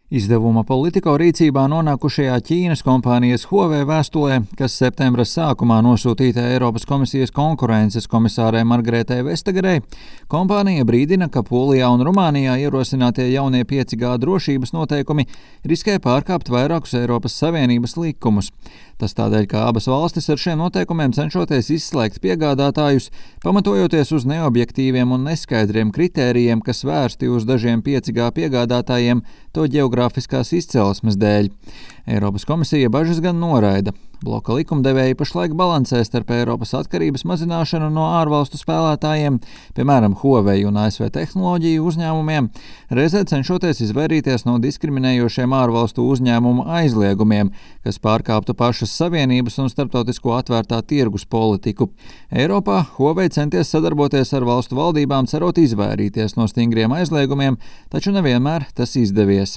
Izdevuma Politico rīcībā nonākušajā Ķīnas kompānijas Huawei vēstulē, kas septembra sākumā nosūtīta Eiropas komisijas konkurences komisārei Margaretai Vestagerei, kompānija brīdina, ka Polijā un Rumānijā ierosinātie jaunie 5G drošības noteikumi riskē pārkāpt vairākus Eiropas Savienības likumus. Tas tādēļ, ka abas valstis ar šiem noteikumiem cenšoties izslēgt piegādātājus, pamatojoties uz neobjektīviem un neskaidriem kritērijiem, kas vērsti uz dažiem 5G piegādātājiem to ģeogrāfiskās izcelsmes dēļ. Eiropas komisija bažas gan noraida. Bloka likumdevēji pašlaik balansē starp Eiropas atkarības mazināšanu no ārvalstu spēlētājiem, piemēram, Huawei un ASV tehnoloģiju uzņēmumiem, reizē cenšoties izvairīties no diskriminējošiem ārvalstu uzņēmumu aizliegumiem, kas pārkāptu pašas Savienības un starptautisko atvērtā tirgus politiku. Eiropā Huawei centies sadarboties ar valstu valdībām, cerot izvairīties no stingriem aizliegumiem, taču nevienmēr tas izdevies.